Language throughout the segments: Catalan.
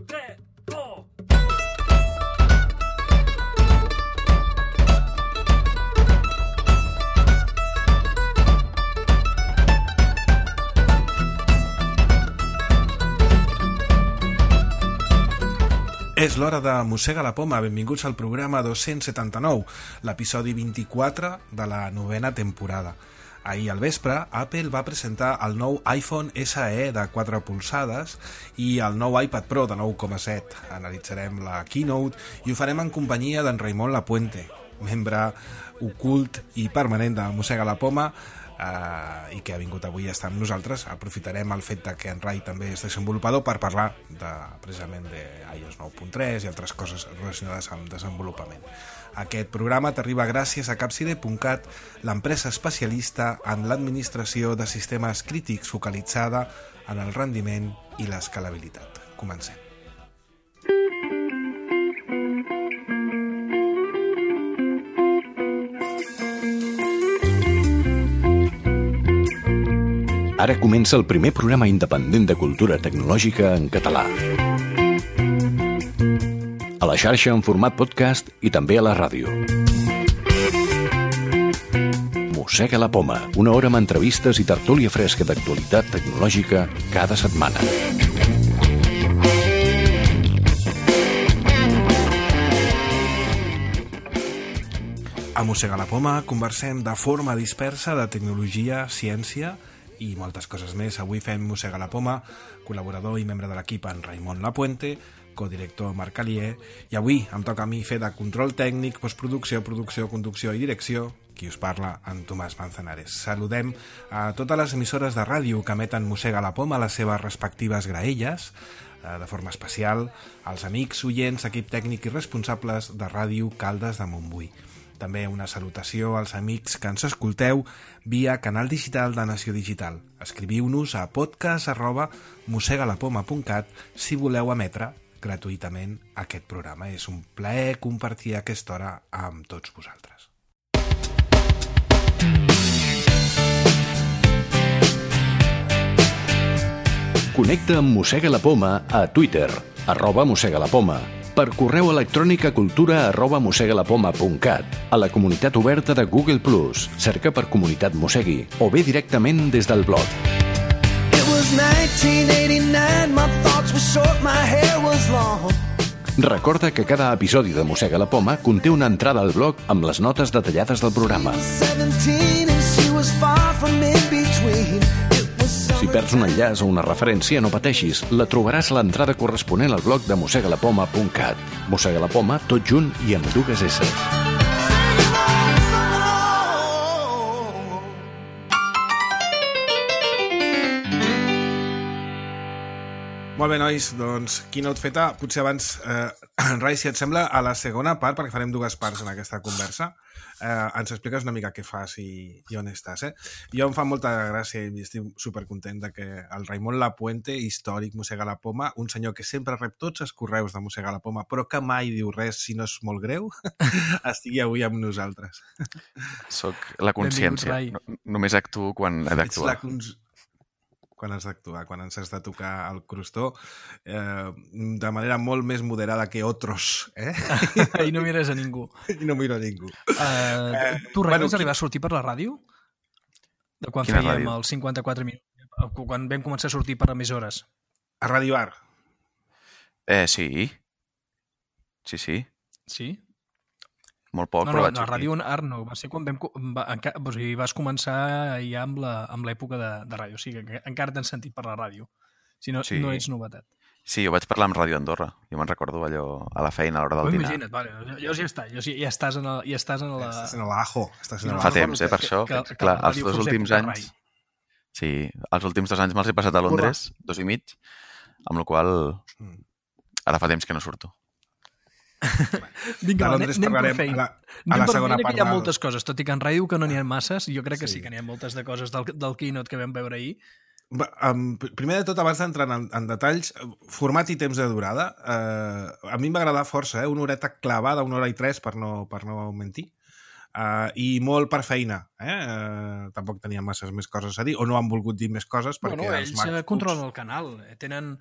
3, 2... És l'hora de Mossega la Poma. Benvinguts al programa 279, l'episodi 24 de la novena temporada. Ahir al vespre, Apple va presentar el nou iPhone SE de 4 polzades i el nou iPad Pro de 9,7. Analitzarem la keynote i ho farem en companyia d'en Raimon Lapuente, membre ocult i permanent de Mossega la Poma, i que ha vingut avui a estar amb nosaltres. Aprofitarem el fet que en Rai també és desenvolupador per parlar precisament d'iOS 9.3 i altres coses relacionades amb desenvolupament. Aquest programa t'arriba gràcies a Capside.cat, l'empresa especialista en l'administració de sistemes crítics focalitzada en el rendiment i l'escalabilitat. Comencem. Ara comença el primer programa independent de cultura tecnològica en català. A la xarxa en format podcast i també a la ràdio. Mossega la Poma, una hora amb entrevistes i tertúlia fresca d'actualitat tecnològica cada setmana. A Mossega la Poma conversem de forma dispersa de tecnologia, ciència i moltes coses més. Avui fem Mossega la Poma, col·laborador i membre de l'equip en Raimon Lapuente, codirector Marc Alier, i avui em toca a mi fer de control tècnic, postproducció, producció, conducció i direcció, qui us parla, en Tomàs Manzanares. Saludem a totes les emissores de ràdio que emeten Mossega la Poma a les seves respectives graelles, de forma especial als amics, oients, equip tècnic i responsables de Ràdio Caldes de Montbui. També una salutació als amics que ens escolteu via canal digital de Nació Digital. Escriviu-nos a podcast@mossegalapoma.cat si voleu emetre gratuïtament aquest programa. És un plaer compartir aquesta hora amb tots vosaltres. Connecta amb Mossega la Poma a Twitter, @mossegalapoma, per correu electrònic a cultura@mossegalapoma.cat, a la comunitat oberta de Google+, cerca per Comunitat Mossegui, o bé directament des del blog. Recorda que cada episodi de Mossega la Poma conté una entrada al blog amb les notes detallades del programa. Si perds un enllaç o una referència, no pateixis, la trobaràs a l'entrada corresponent al blog de mossegalapoma.cat. Mossega la Poma, tot junt i amb dues S. Molt bé, nois, doncs keynote feta. Potser abans, Rai, si et sembla, a la segona part, perquè farem dues parts en aquesta conversa, ens expliques una mica què fas i on estàs. Jo em fa molta gràcia i estic supercontent que el Raimon Lapuente, històric Mossega la Poma, un senyor que sempre rep tots els correus de Mossega la Poma, però que mai diu res si no és molt greu, estigui avui amb nosaltres. Soc la consciència. Només actuo quan he d'actuar. Quan has d'actuar, quan ens has de tocar el crostó, de manera molt més moderada que otros. I no mires a ningú. I no miro a ningú. Tu, Rai, vas arribar a sortir per la ràdio? De quan Quina fèiem ràdio? els 54 minuts? Quan vam començar a sortir per emissores? A Ràdio Ar. Sí. Sí. Sí? Molt poc, No, però vaig a sortir. Ràdio Ar no. Va ser quan vas començar ja amb l'època de ràdio. O sigui, que encara t'han sentit per la ràdio. Si no, Sí. no ets novetat. Sí, jo vaig parlar amb Ràdio Andorra. Jo me'n recordo allò a la feina, a l'hora del dinar. Imagina't, vale, llavors ja està. Ja estàs en la... Estàs en l'ajo. Fa temps, per això. Clar, els dos últims anys... Sí, els últims 2 anys me'ls he passat a Londres, 2 i mig, amb la qual ara fa temps que no surto. Vinga, de Londres anem per parlarem feina. a la segona part. Hi ha moltes coses, tot i que en ràdio que no n'hi ha masses, jo crec que sí que n'hi ha moltes de coses del keynote que vam veure ahir. Primer de tot, abans d'entrar en detalls, format i temps de durada, a mi em va agradar força, una horeta clavada, 1 hora i 3, per no mentir. i molt per feina. Tampoc tenien masses més coses a dir, o no han volgut dir més coses perquè els MacBooks... Ells controlen el canal. Tenen...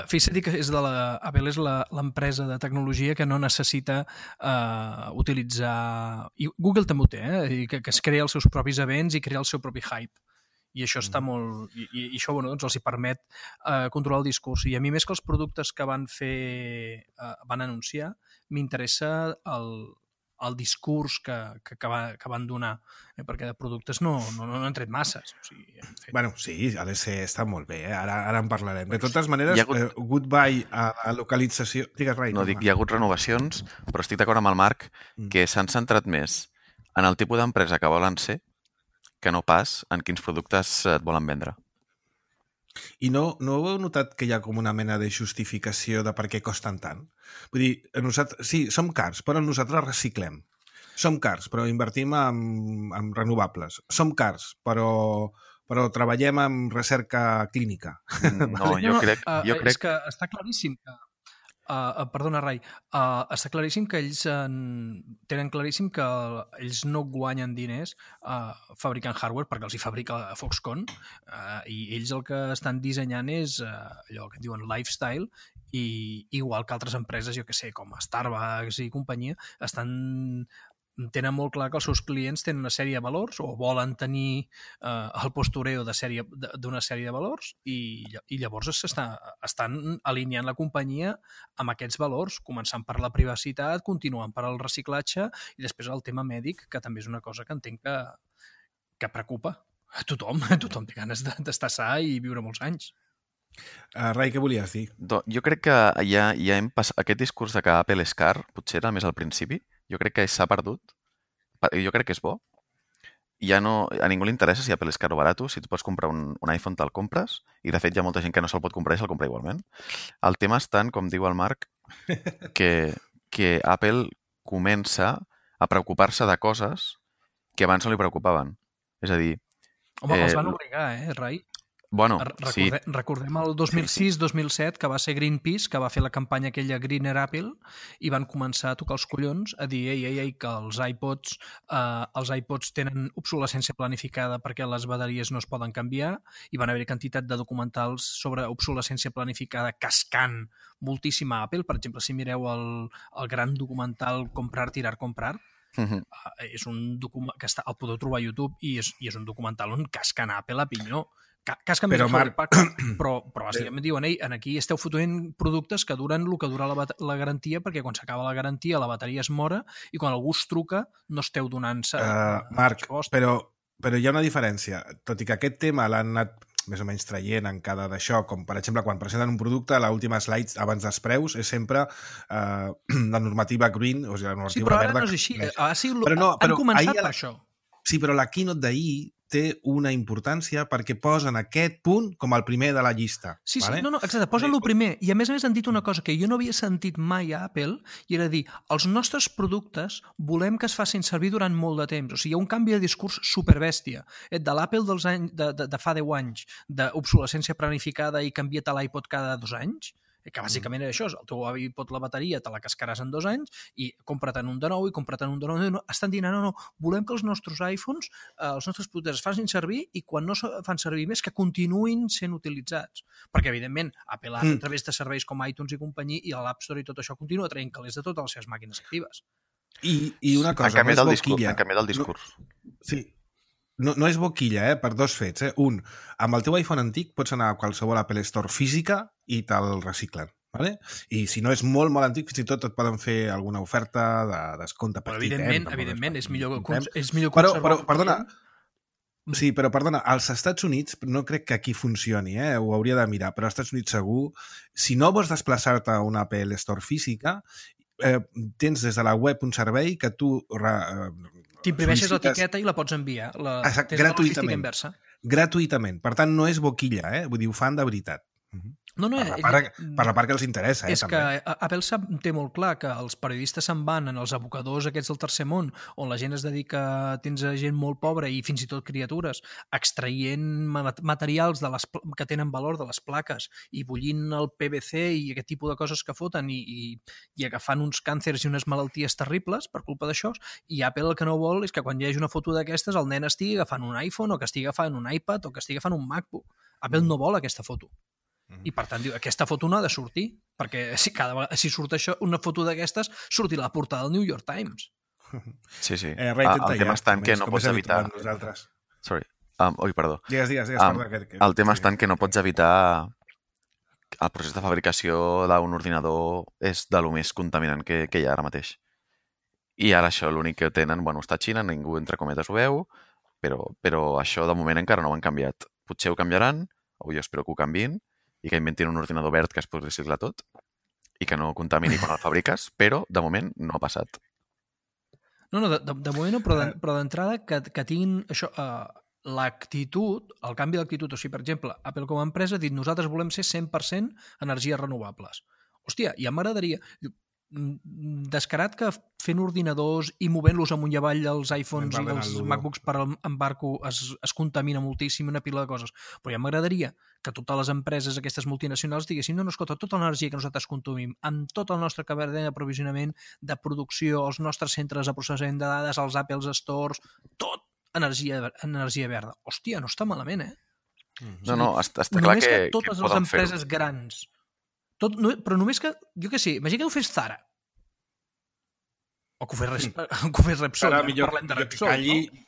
Fixa't que Apple és l'empresa de tecnologia que no necessita utilitzar... I Google també ho té, que es crea els seus propis events i crea el seu propi hype. I això està molt... I això doncs els hi permet controlar el discurs. I a mi, més que els productes que van anunciar, m'interessa el discurs que van donar, perquè de productes no han tret masses. O sigui, bueno, sí, ha de ser, està molt bé, ara en parlarem. De totes maneres, goodbye a localització... Digues, Rai. No, dic, hi ha hagut renovacions, però estic d'acord amb el Marc que s'han centrat més en el tipus d'empresa que volen ser que no pas en quins productes et volen vendre. I no heu notat que hi ha com una mena de justificació de per què costen tant? Vull dir, nosaltres, sí, som cars, però nosaltres reciclem. Som cars, però invertim en renovables. Som cars, però treballem en recerca clínica. No, jo crec... És que està claríssim que... perdona, Rai, està claríssim que ells tenen claríssim que ells no guanyen diners fabricant hardware perquè els hi fabrica Foxconn i ells el que estan dissenyant és allò que diuen lifestyle i igual que altres empreses, jo que sé, com Starbucks i companyia, tenen molt clar que els seus clients tenen una sèrie de valors o volen tenir el postureo d'una sèrie de valors i llavors estan alineant la companyia amb aquests valors, començant per la privacitat, continuant per el reciclatge i després el tema mèdic, que també és una cosa que entenc que preocupa a tothom. Tothom té ganes d'estar sa i viure molts anys. Rai, què volies dir? Jo crec que ja hem passat aquest discurs de que Apple és car, potser era més al principi. Jo crec que s'ha perdut. Jo crec que és bo. Ja no, a ningú li interessa si Apple és car o barat. Si tu pots comprar un iPhone, te'l compres. I, de fet, hi ha molta gent que no se'l pot comprar i se'l compra igualment. El tema és tant, com diu el Marc, que Apple comença a preocupar-se de coses que abans no li preocupaven. És a dir... Home, els van obligar, Rai? Bueno, sí. Recordem el 2006-2007, que va ser Greenpeace, que va fer la campanya aquella Greener Apple, i van començar a tocar els collons, a dir que els iPods tenen obsolescència planificada perquè les bateries no es poden canviar, i van haver quantitat de documentals sobre obsolescència planificada cascant moltíssim a Apple. Per exemple, si mireu el gran documental Comprar, Tirar, Comprar, és un document que el podeu trobar a YouTube i és un documental on casquen a Apple a pinyó. Casca més però bàsicament diuen, aquí esteu fotent productes que duren el que dura la garantia, perquè quan s'acaba la garantia la bateria es mora i quan algú es truca no esteu donant-se... Marc, però hi ha una diferència. Tot i que aquest tema l'han anat més o menys traient en cada d'això, com per exemple quan presenten un producte, l'última slide abans dels preus és sempre la normativa green, o sigui, la normativa verda. Sí, però ara no és així. Han començat per això. Sí, però la keynote d'ahir té una importància perquè posen aquest punt com el primer de la llista. Sí, vale? No, exacte, posen el primer. I a més han dit una cosa que jo no havia sentit mai a Apple, i era dir, els nostres productes volem que es facin servir durant molt de temps. O sigui, hi ha un canvi de discurs superbèstia. De l'Apple de fa 10 anys, d'obsolescència planificada i canvia't l'iPod cada 2 anys, que bàsicament és això, el teu avi pot la bateria, te la cascaràs en 2 anys i compra't-en un de nou i compra't-en un de nou. Estan dient, no, volem que els nostres iPhones, els nostres productes es facin servir i quan no se fan servir més que continuïn sent utilitzats. Perquè, evidentment, Apple a través de serveis com iTunes i companyia i l'App Store i tot això continua traient calés de totes les seves màquines actives. I una cosa, no és boquilla. Han canviat el discurs. Sí. No és boquilla, per dos fets. Un, amb el teu iPhone antic pots anar a qualsevol Apple Store física i te'l reciclen. Vale? I si no és molt, molt antic, fins i tot et poden fer alguna oferta de descompte petit. Però evidentment, és millor conservar... Però, perdona, sí, però perdona, als Estats Units no crec que aquí funcioni, ho hauria de mirar, però als Estats Units segur, si no vols desplaçar-te a una Apple Store física, tens des de la web un servei que tu... T'imprimeixes l'etiqueta i la pots enviar. Gratuïtament. Per tant, no és boquilla, vull dir, ho fan de veritat. Per la part que els interessa, és també. que Apple té molt clar que els periodistes se'n van en els abocadors aquests del tercer món, on la gent es dedica, tens gent molt pobra i fins i tot criatures, extraient materials que tenen valor de les plaques i bullint el PVC i aquest tipus de coses que foten i agafant uns càncers i unes malalties terribles per culpa d'això, i Apple el que no vol és que quan hi hagi una foto d'aquestes el nen estigui agafant un iPhone o que estigui agafant un iPad o que estigui agafant un MacBook. Apple no vol aquesta foto. I per tant diu, aquesta foto no ha de sortir, perquè si surt això, una foto d'aquestes, sortirà a la portada del New York Times. Sí. El tema està en que no pots evitar... Sorry. Perdó. Digues, el tema està en que no pots evitar... El procés de fabricació d'un ordinador és de lo més contaminant que hi ha ara mateix. I ara això, l'únic que tenen, està a Xina, ningú entre cometes ho veu, però això de moment encara no ho han canviat. Potser ho canviaran, o jo espero que ho canviïn, i que inventin un ordinador verd que es pugui reciclar tot i que no contamini quan el fabriques, però de moment no ha passat. No, de moment no, però d'entrada que tinguin això, l'actitud, el canvi d'actitud, o sigui, per exemple, Apple com a empresa ha dit nosaltres volem ser 100% energies renovables. Hòstia, ja m'agradaria... descarat que fent ordinadors i movent-los amunt i avall dels iPhones i els MacBooks per embarco es contamina moltíssim una pila de coses, però ja m'agradaria que totes les empreses aquestes multinacionals diguessin no, escolta, tota l'energia que nosaltres consumim amb tot el nostre cadena d'aprovisionament de producció, els nostres centres de processament de dades, els Apple Stores, tot energia verda. Hòstia, no està malament, No, està clar que totes les empreses grans però només que, jo què sé, imagina que ho fes Zara o que ho fes Repsol. Ara millor que calli i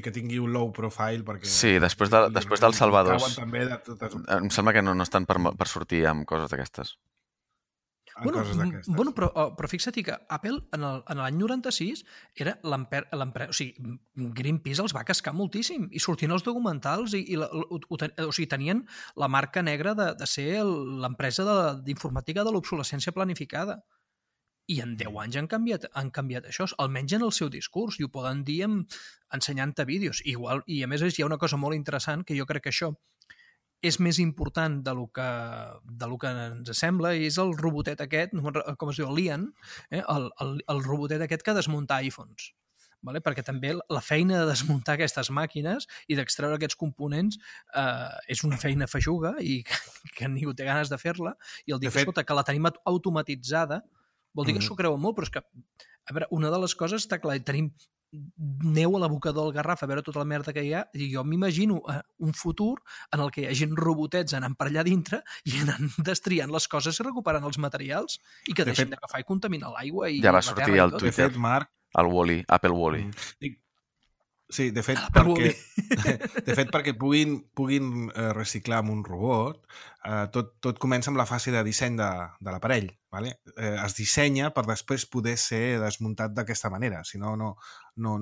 que tingui un low profile perquè... Sí, després del Salvador em sembla que no estan per sortir amb coses d'aquestes. Però fixa't que Apple en l'any 96 era l'empresa, o sigui, Greenpeace els va cascar moltíssim i sortien els documentals o sigui, tenien la marca negra de ser l'empresa d'informàtica de l'obsolescència planificada. I en 10 anys han canviat això, almenys en el seu discurs, i ho poden dir ensenyant-te vídeos. I a més hi ha una cosa molt interessant que jo crec que això és més important del que ens sembla, i és el robotet aquest, com es diu, l'Ian, el robotet aquest que desmunta iPhones. Vale? Perquè també la feina de desmuntar aquestes màquines i d'extreure aquests components és una feina feixuga i que ningú té ganes de fer-la, i el dir que la tenim automatitzada vol dir que s'ho creuen molt, però és que a veure, una de les coses està clar, tenim neu a l'abocador del Garraf a veure tota la merda que hi ha, i jo m'imagino un futur en el que hi hagi robotets anant per allà dintre i anant destriant les coses i recuperant els materials i que deixin d'agafar i contaminar l'aigua i ja va sortir al Twitter el Wall-E, Apple Wall-E. Sí, de fet, perquè puguin reciclar amb un robot, tot comença amb la fase de disseny de l'aparell. Vale? Es dissenya per després poder ser desmuntat d'aquesta manera, si no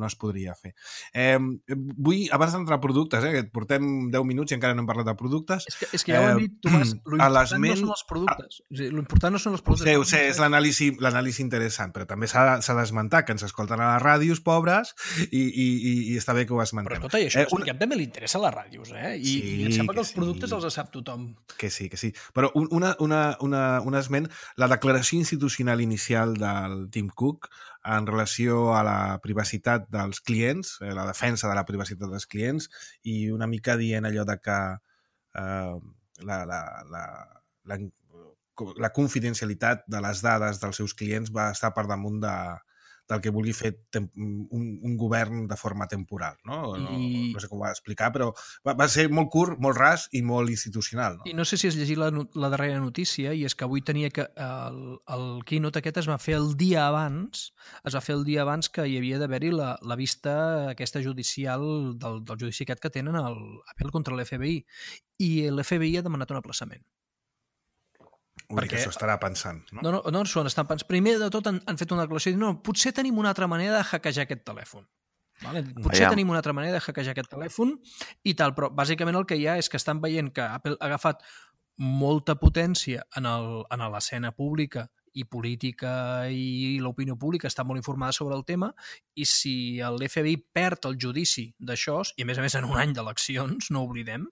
es podria fer. Vull, abans d'entrar a productes, que portem 10 minuts i encara no hem parlat de productes... És que ja ho hem dit, Tomàs, l'important no són els productes. L'important no són els productes. Ho sé, és l'anàlisi interessant, però també s'ha d'esmentar que ens escolten a les ràdios pobres i està bé que ho esmentem. Però tot això, a també li interessa a les ràdios, i em sembla que els productes els sap tothom. Que sí. Però un esment, la declaració institucional inicial del Tim Cook en relació a la privacitat dels clients, la defensa de la privacitat dels clients, i una mica dient allò de que la confidencialitat de les dades dels seus clients va estar per damunt del que vulgui fer un govern de forma temporal. No sé com ho va explicar, però va ser molt curt, molt ras i molt institucional. I no sé si has llegit la darrera notícia, i és que avui tenia que el keynote aquest es va fer el dia abans que hi havia d'haver-hi la vista aquesta judicial del judici aquest que tenen Apple contra l'FBI, i l'FBI ha demanat un aplaçament. Perquè això estarà pensant, no? No s'ho estan pensant. Primer de tot han fet una declaració dient, potser tenim una altra manera de hackejar aquest telèfon. Vale? Potser tenim una altra manera de hackejar aquest telèfon i tal, però bàsicament el que hi ha és que estan veient que Apple ha agafat molta potència en l'escena pública i política, i l'opinió pública està molt informada sobre el tema, i si l'FBI perd el judici d'això, i a més en un any d'eleccions, no oblidem,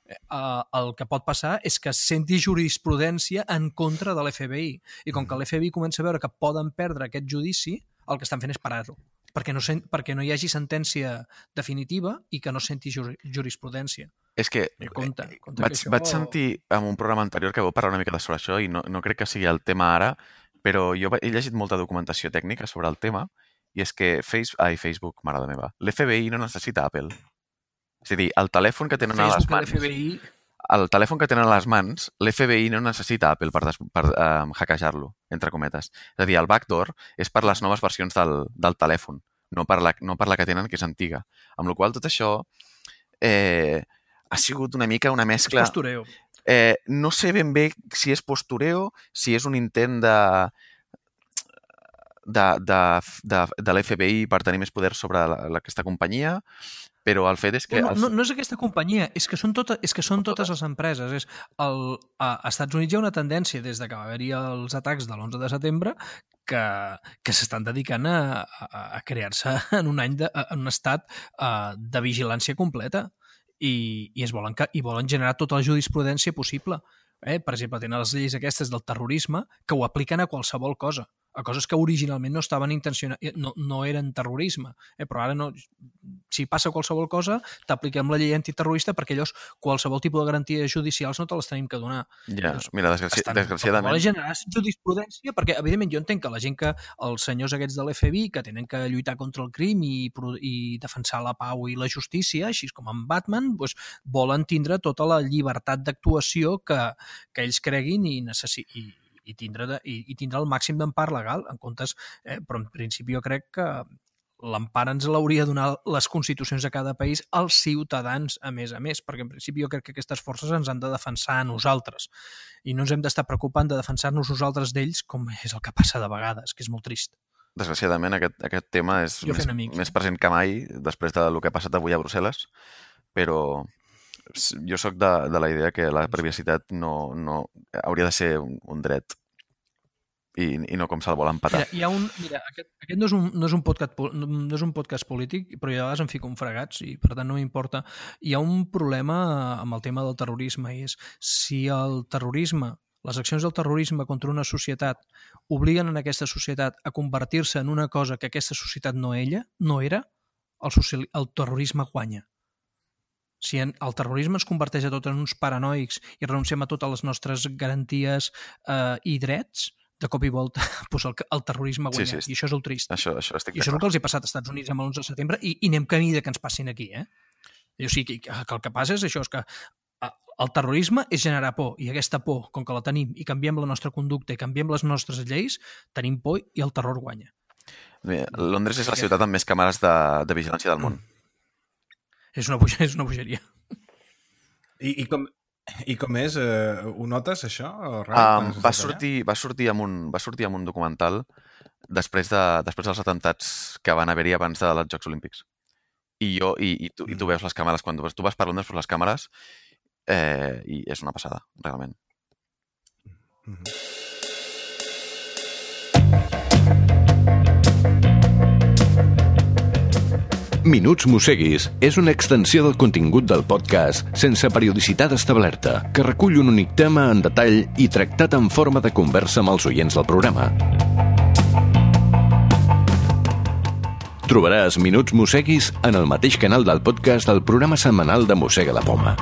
el que pot passar és que senti jurisprudència en contra de l'FBI. I com que l'FBI comença a veure que poden perdre aquest judici, el que estan fent és parar-lo. Perquè no hi hagi sentència definitiva i que no senti jurisprudència. És que vaig sentir en un programa anterior que vau parlar una mica sobre això i no crec que sigui el tema ara, però jo he llegit molta documentació tècnica sobre el tema i és que Facebook, mare meva, l'FBI no necessita Apple. És a dir, el telèfon que tenen a les mans... El telèfon que tenen a les mans, l'FBI no necessita Apple per hackejar-lo, entre cometes. És a dir, el backdoor és per les noves versions del telèfon, no per la que tenen, que és antiga. Amb la qual cosa tot això ha sigut una mica una mescla... És postureo. No sé ben bé si és postureo, si és un intent de l'FBI per tenir més poder sobre aquesta companyia, però el fet és que... No és aquesta companyia, és que són totes les empreses. A Estats Units hi ha una tendència, des que va haver-hi els atacs de l'11 de setembre, que s'estan dedicant a crear-se en un estat de vigilància completa i volen generar tota la jurisprudència possible. Per exemple, tenen les lleis aquestes del terrorisme que ho apliquen a qualsevol cosa, a coses que originalment no estaven intencionades, no eren terrorisme, però ara no, si passa qualsevol cosa t'apliquem la llei antiterrorista perquè llavors qualsevol tipus de garanties judicials no te les tenim que donar. Ja, mira, desgraciadament... Volen generar jurisprudència perquè, evidentment, jo entenc que la gent els senyors aquests de l'FBI que tenen que lluitar contra el crim i defensar la pau i la justícia, així com en Batman, doncs, volen tindre tota la llibertat d'actuació que ells creguin i tindre el màxim d'empart legal, en comptes, però en principi jo crec que l'empara ens l'hauria de donar les constitucions de cada país als ciutadans, a més, perquè en principi jo crec que aquestes forces ens han de defensar a nosaltres i no ens hem d'estar preocupant de defensar-nos nosaltres d'ells, com és el que passa de vegades, que és molt trist. Desgraciadament, aquest tema és més present que mai després del que ha passat avui a Brussel·les, però jo sóc de la idea que la privacitat no hauria de ser un dret i no com se'l vol empatar. Aquest no és un podcast polític, però jo a vegades em fico en fregats i per tant no m'importa. Hi ha un problema amb el tema del terrorisme i és si el terrorisme, les accions del terrorisme contra una societat obliguen en aquesta societat a convertir-se en una cosa que aquesta societat no era, el terrorisme guanya. Si el terrorisme ens converteix a tots en uns paranoics i renunciem a totes les nostres garanties i drets, de cop i volta el terrorisme guanya. Sí. I això és el trist. Això estic I això és el que els ha passat als Estats Units amb l'11 de setembre i anem camí de que ens passin aquí. O sigui, que el que passa és això, és que el terrorisme és generar por i aquesta por, com que la tenim i canviem la nostra conducta i canviem les nostres lleis, tenim por i el terror guanya. Londres és la ciutat amb més càmeres de vigilància del món. És una bogeria. I com és? Ho notes, això? Va sortir amb un documental després dels atentats que van haver-hi abans dels Jocs Olímpics. I tu veus les càmeres, quan tu vas per Londres, veus les càmeres i és una passada, realment. Minuts Mosseguis és una extensió del contingut del podcast sense periodicitat establerta, que recull un únic tema en detall i tractat en forma de conversa amb els oients del programa. Trobaràs Minuts Mosseguis en el mateix canal del podcast del programa setmanal de Mossega la Poma.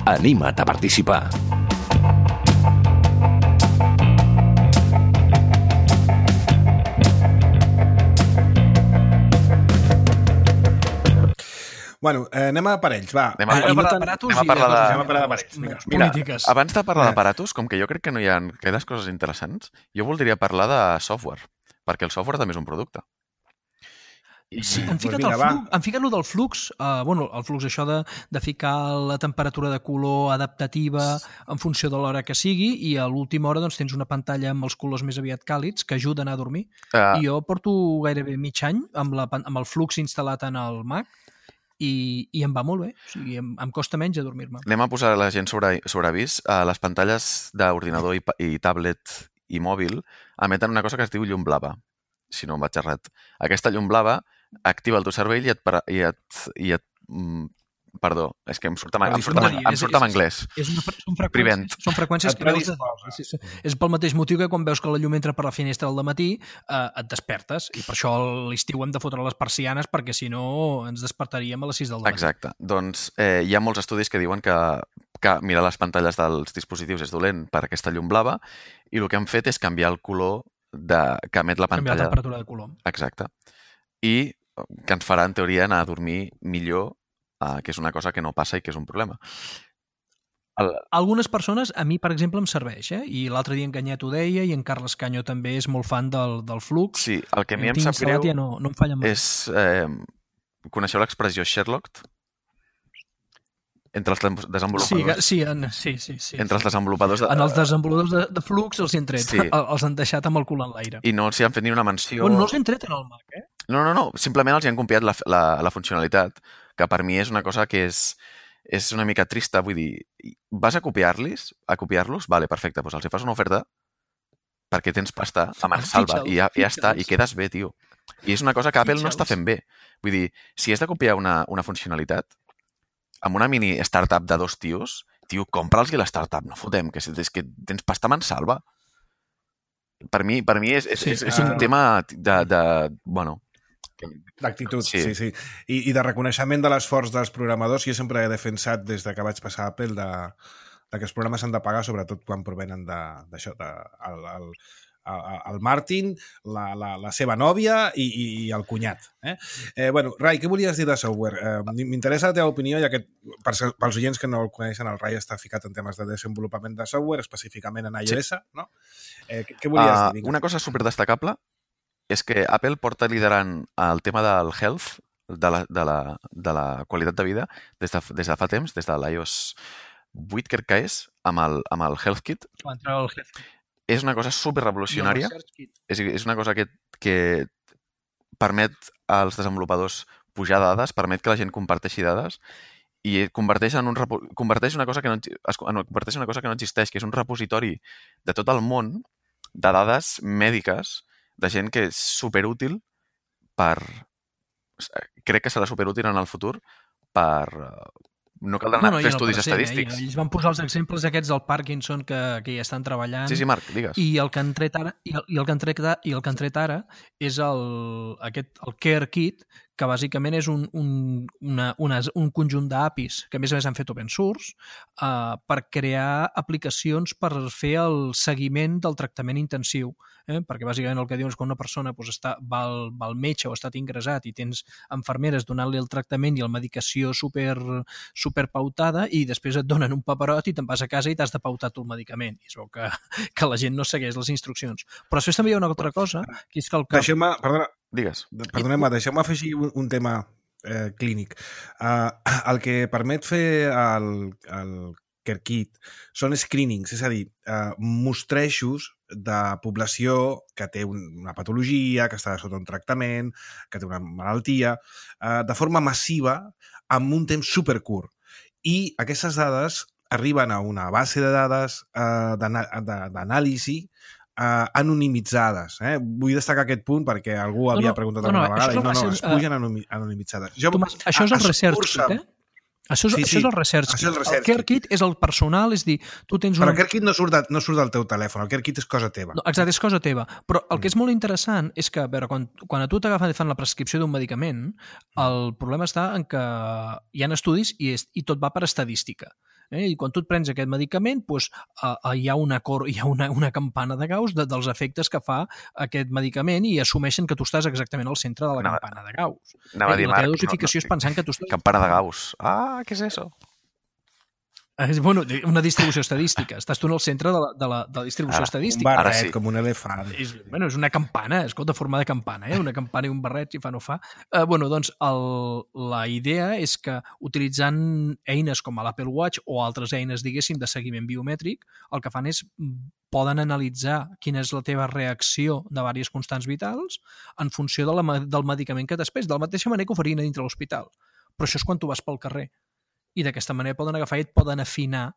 Anima't a participar! Bueno, anem a parells, va. Anem a parlar d'aparatos i polítiques. Abans de parlar d'aparatos, com que jo crec que no hi ha gaires coses interessants, jo voldria parlar de software, perquè el software també és un producte. Sí, han ficat lo del flux, el flux això de ficar la temperatura de color adaptativa en funció de l'hora que sigui i a l'última hora doncs, tens una pantalla amb els colors més aviat càlids que ajuden a dormir. I jo porto gairebé mig any amb el flux instal·lat en el Mac i em va molt bé, o sigui, em costa menys adormir-me. Anem a posar la gent sobre avís. Les pantalles d'ordinador i tablet i mòbil emeten una cosa que es diu llum blava, si no em vaig errat. Aquesta llum blava activa el teu cervell i et Perdó, és que em surt en anglès. Són freqüències que veus... És pel mateix motiu que quan veus que la llum entra per la finestra al dematí et despertes, i per això a l'estiu hem de fotre les persianes perquè si no ens despertaríem a les 6 del dematí. Exacte. Doncs hi ha molts estudis que diuen que mirar les pantalles dels dispositius és dolent per aquesta llum blava i el que han fet és canviar el color que emet la pantalla. Canviar la temperatura de color. Exacte. I que ens farà, en teoria, anar a dormir millor, que és una cosa que no passa i que és un problema. Algunes persones, a mi, per exemple, em serveix, i l'altre dia en Canyet ho deia, i en Carles Canyo també és molt fan del flux. Sí, el que a mi em sap greu ja no em falla mai. és... coneixeu l'expressió Sherlocked? Entre els desenvolupadors. Sí. Entre els desenvolupadors... En els desenvolupadors de flux els han tret. Sí. Els han deixat amb el cul en l'aire. I no els hi han fet ni una menció... No els han tret en el Mac, No. Simplement els hi han copiat la funcionalitat, que per mi és una cosa que és una mica trista. Vull dir, vas a copiar-los? Vale, perfecte, doncs els hi fas una oferta perquè tens pasta a mansalva i ja està, i quedes bé, tio. I és una cosa que Apple no està fent bé. Vull dir, si has de copiar una funcionalitat, amb una mini startup de 2 tios, tio, compra'ls la startup, no fotem, que és que tens pasta a mansalva. Per mi és un tema bueno... D'actitud, sí. I de reconeixement de l'esforç dels programadors. Jo sempre he defensat, des que vaig passar a Apple, que els programes s'han de pagar, sobretot quan provenen d'això, el Martin, la seva nòvia i el cunyat. Bueno, Rai, què volies dir de software? M'interessa la teva opinió, ja que pels oients que no el coneixen, el Rai està ficat en temes de desenvolupament de software, específicament en iOS, no? Què volies dir? Una cosa superdestacable és que Apple porta liderant el tema del health, de la qualitat de vida, des de fa temps, des de l'iOS 8, crec que és, amb el Health Kit. És una cosa superrevolucionària. És una cosa que permet als desenvolupadors pujar dades, permet que la gent comparteixi dades i converteix una cosa que no existeix, que és un repositori de tot el món de dades mèdiques de gent que és superútil crec que serà superútil en el futur per... No caldrà anar a fer estudis estadístics. Ells van posar els exemples aquests del Parkinson que ja estan treballant. Sí, Marc, digues. I el que han tret ara és el Care Kit, que bàsicament és un conjunt d'APIs que a més han fet open source per crear aplicacions per fer el seguiment del tractament intensiu. Perquè bàsicament el que diuen és que una persona va al metge o ha estat ingressat i tens infermeres donant-li el tractament i la medicació superpautada i després et donen un paperot i te'n vas a casa i t'has de pautar tu el medicament. I es veu que la gent no segueix les instruccions. Però després també hi ha una altra cosa, que és que deixeu-me afegir un tema clínic. El que permet fer el Care Kit són screenings, és a dir, mostrejos de població que té una patologia, que està sota un tractament, que té una malaltia, de forma massiva, amb un temps supercurt. I aquestes dades arriben a una base de dades d'anàlisi anonimitzades. Vull destacar aquest punt perquè algú havia preguntat alguna vegada i es pugen anonimitzades. Això és el Research Kit, Això és el Research Kit. El Care Kit és el personal, és dir, tu tens Però el Care Kit no surt del teu telèfon, el Care Kit és cosa teva. No, exacte, és cosa teva. Però el que és molt interessant és que, a veure, quan a tu t'agafen i fan la prescripció d'un medicament, el problema està en que hi ha estudis i tot va per estadística. I quan tu et prens aquest medicament, hi ha una campana de Gauss dels efectes que fa aquest medicament i assumeixen que tu estàs exactament al centre de la campana de Gauss. La teva dosificació és pensant que tu estàs... Campana de Gauss. ¿Qué es eso? Bueno, una distribució estadística. Estàs tu en el centre de la distribució estadística. Un barret, com un elefant. És una campana, escolta, forma de campana, una campana i un barret, si fa no fa. Doncs la idea és que utilitzant eines com l'Apple Watch o altres eines, diguéssim, de seguiment biomètric, el que fan és poden analitzar quina és la teva reacció de diverses constants vitals en funció del medicament que t'has pres, de la mateixa manera que ho farien a dintre l'hospital. Però això és quan tu vas pel carrer. I d'aquesta manera poden agafar i et poden afinar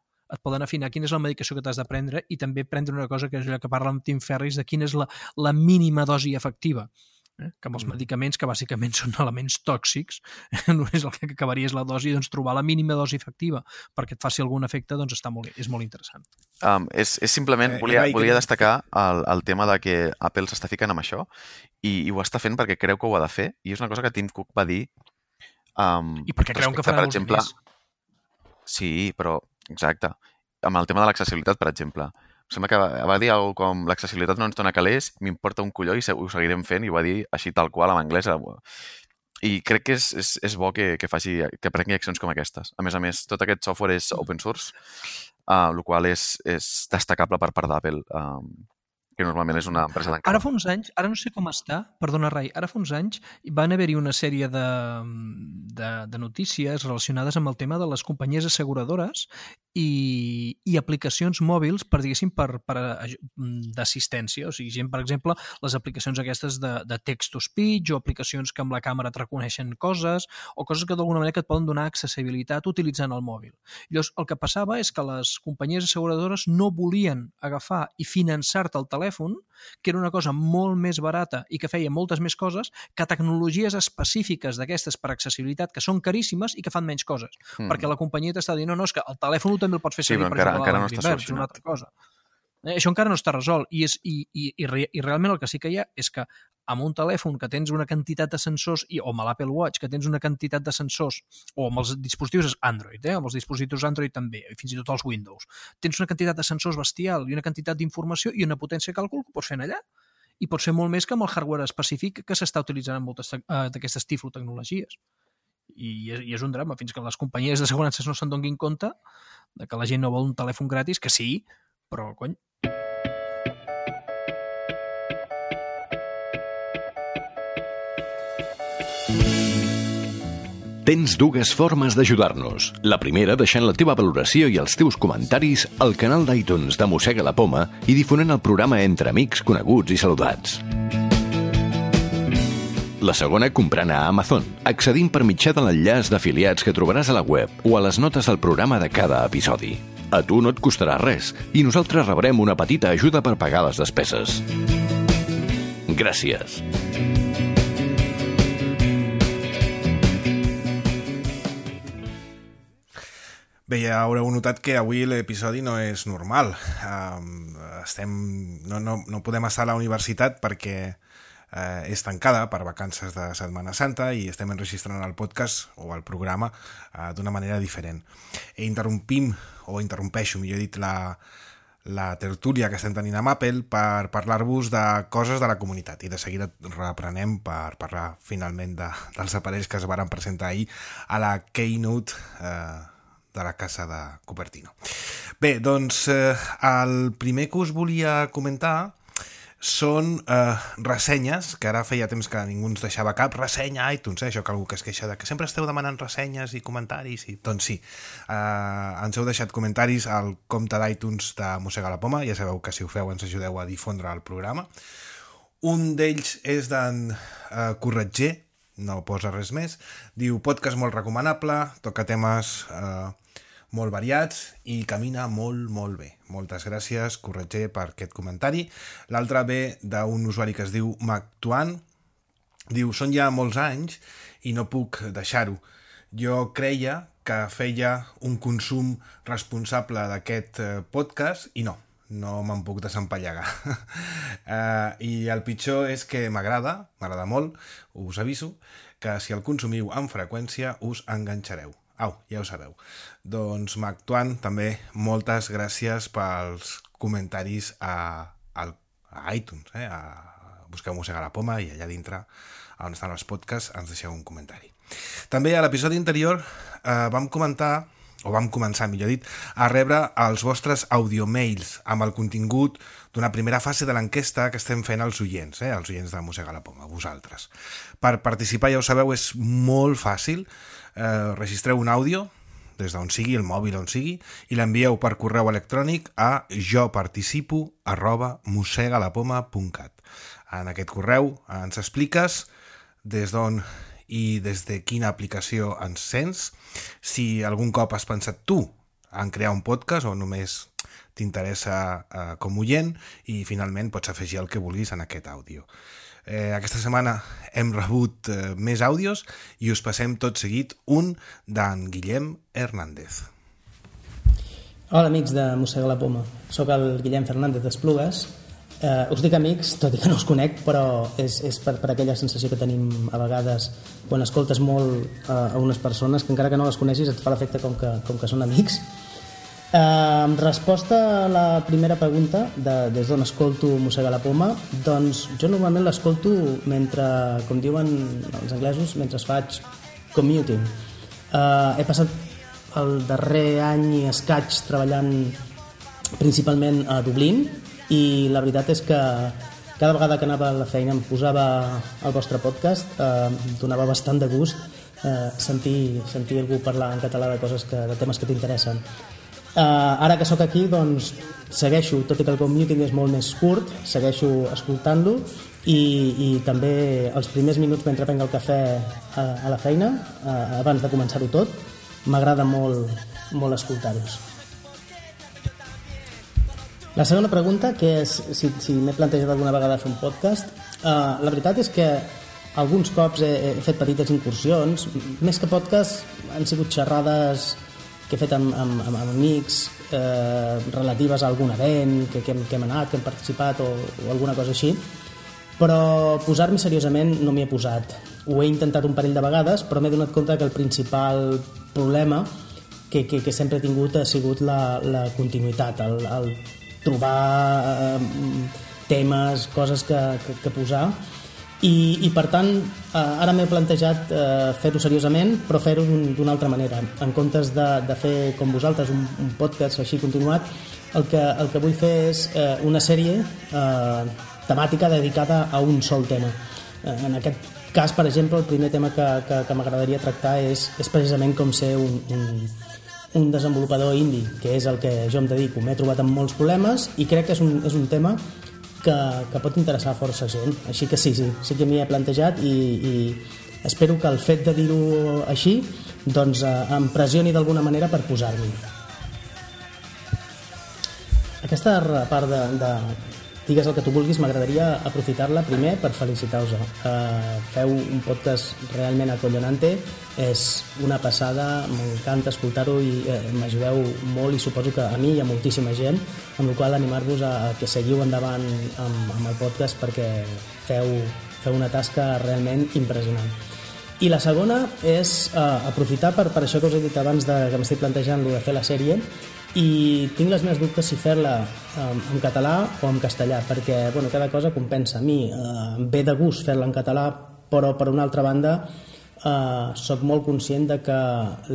quina és la medicació que t'has de prendre i també prendre una cosa que és allò que parla amb Tim Ferriss de quina és la mínima dosi efectiva. Que amb els medicaments, que bàsicament són elements tòxics, només el que acabaria és la dosi, doncs trobar la mínima dosi efectiva perquè et faci algun efecte, doncs és molt interessant. És simplement, volia destacar el tema de que Apple s'està ficant amb això i ho està fent perquè creu que ho ha de fer, i és una cosa que Tim Cook va dir... I perquè creuen que farà molts diners. Sí, però, exacte. Amb el tema de l'accessibilitat, per exemple. Em sembla que va dir alguna com l'accessibilitat no ens dona calés, m'importa un colló i ho seguirem fent, i ho va dir així tal qual en anglès. I crec que és bo que prengui accions com aquestes. A més, tot aquest software és open source, el qual és destacable per part d'Apple, que normalment és una empresa tancada. Ara fa uns anys, ara no sé com està, perdona Rai, ara fa uns anys van haver-hi una sèrie de notícies relacionades amb el tema de les companyies asseguradores i aplicacions mòbils per, diguéssim, d'assistència. O sigui, gent, per exemple, les aplicacions aquestes de text-to-speech o aplicacions que amb la càmera et reconeixen coses o coses que d'alguna manera que et poden donar accessibilitat utilitzant el mòbil. Llavors, el que passava és que les companyies asseguradores no volien agafar i finançar-te el telèfon, que era una cosa molt més barata i que feia moltes més coses, que tecnologies específiques d'aquestes per accessibilitat que són caríssimes i que fan menys coses. Perquè la companyia t'està dient, no, és que el telèfon també el pots fer servir per encara no està solucionat. Una altra cosa. Això encara no està resolt i realment el que sí que hi ha és que amb un telèfon que tens una quantitat de sensors o amb l'Apple Watch que tens una quantitat de sensors o amb els dispositius Android, amb els dispositius Android també, i fins i tot els Windows, tens una quantitat de sensors bestial i una quantitat d'informació i una potència de càlcul que pots fer allà. I pot ser molt més que amb el hardware específic que s'està utilitzant en moltes d'aquestes tiflotecnologies. I és un drama, fins que les companyies d'assegurances no se'n donin compte de que la gent no vol un telèfon gratis, que sí, però cony. Tens dues formes d'ajudar-nos. La primera, deixant la teva valoració i els teus comentaris al canal d'iTunes de Mossega la Poma i difonent el programa entre amics, coneguts i saludats. La segona, comprant a Amazon, accedint per mitjà de l'enllaç d'afiliats que trobaràs a la web o a les notes del programa de cada episodi. A tu no et costarà res i nosaltres rebrem una petita ajuda per pagar les despeses. Gràcies. Bé, ja haureu notat que avui l'episodi no és normal. No podem estar a la universitat perquè és tancada per vacances de Setmana Santa i estem enregistrant el podcast o el programa d'una manera diferent. Interrompeixo, millor dit, la tertúlia que estem tenint amb Apple per parlar-vos de coses de la comunitat i de seguida reprenem per parlar finalment dels aparells que es varen presentar ahir a la Keynote de la casa de Cupertino. Bé, doncs el primer que us volia comentar són ressenyes, que ara feia temps que ningú ens deixava cap ressenya a iTunes, això que algú que es queixa de que sempre esteu demanant ressenyes i comentaris, doncs sí, ens heu deixat comentaris al compte d'iTunes de Mossega la Poma, ja sabeu que si ho feu ens ajudeu a difondre el programa. Un d'ells és d'en Corretger, no posa res més, diu podcast molt recomanable, toca temes molt variats i camina molt, molt bé. Moltes gràcies, Corretger, per aquest comentari. L'altre ve d'un usuari que es diu MacTuan. Diu, són ja molts anys i no puc deixar-ho. Jo creia que feia un consum responsable d'aquest podcast i no me'n puc desempallegar. I el pitjor és que m'agrada molt, us aviso, que si el consumiu amb freqüència us enganxareu. Au, ja ho sabeu. Doncs, MacTuan, també moltes gràcies pels comentaris a iTunes. Busqueu Mossega la Poma i allà dintre, on estan els podcasts, ens deixeu un comentari. També a l'episodi anterior vam començar, millor dit, a rebre els vostres audiomails amb el contingut d'una primera fase de l'enquesta que estem fent als oients, els oients de Mossega la Poma, vosaltres. Per participar, ja ho sabeu, és molt fàcil. Registreu un àudio des d'on sigui, el mòbil on sigui, i l'envieu per correu electrònic a joparticipo@mossegalapoma.cat. En aquest correu ens expliques des d'on i des de quina aplicació ens sents, si algun cop has pensat tu en crear un podcast o només t'interessa com oient, i finalment pots afegir el que vulguis en aquest àudio. Aquesta setmana hem rebut més àudios i us passem tot seguit un d'en Guillem Hernández. Hola amics de Mossega la Poma, soc el Guillem Fernández d'Esplugues. Us dic amics, tot i que no us conec, però és per aquella sensació que tenim a vegades quan escoltes molt a unes persones que encara que no les coneixis et fa l'efecte com que són amics. En resposta a la primera pregunta des d'on escolto Mossega la Poma, doncs jo normalment l'escolto mentre, com diuen els anglesos, mentre faig commuting. He passat el darrer any i escaig treballant principalment a Dublín i la veritat és que cada vegada que anava a la feina em posava el vostre podcast, donava bastant de gust sentir algú parlar en català de temes que t'interessen. Ara que sóc aquí, doncs segueixo, tot i que el commuting és molt més curt, segueixo escoltant-lo i també els primers minuts mentre prenc el cafè a la feina, abans de començar-ho tot, m'agrada molt escoltar-los. La segona pregunta, que és si m'he plantejat alguna vegada fer un podcast, la veritat és que alguns cops he fet petites incursions, més que podcast han sigut xerrades que he fet amb amics relatives a algun event que hem anat, que hem participat o alguna cosa així, però posar-m'hi seriosament no m'hi he posat. Ho he intentat un parell de vegades, però m'he donat compte que el principal problema que sempre he tingut ha sigut la continuïtat, el trobar temes, coses que posar. I per tant, ara m'he plantejat fer-ho seriosament, però fer-ho d'una altra manera. En comptes de fer com vosaltres un podcast així continuat, el que vull fer és una sèrie temàtica dedicada a un sol tema. En aquest cas, per exemple, el primer tema que m'agradaria tractar és precisament com ser un desenvolupador indie, que és el que jo em dedico. M'he trobat amb molts problemes i crec que és un tema que pot interessar força gent, així que sí que m'hi he plantejat i espero que el fet de dir-ho així doncs em pressioni d'alguna manera per posar-m'hi. Aquesta part de digues el que tu vulguis, m'agradaria aprofitar-la primer per felicitar-vos. Feu un podcast realment acollonante, és una passada, m'encanta escoltar-ho i m'ajudeu molt i suposo que a mi i a moltíssima gent, amb la qual animar-vos a que seguiu endavant amb el podcast perquè feu una tasca realment impressionant. I la segona és aprofitar per això que us he dit abans que m'estic plantejant de fer la sèrie, i tinc les meves dubtes si fer-la en català o en castellà, perquè cada cosa compensa. A mi em ve de gust fer-la en català, però per una altra banda soc molt conscient de que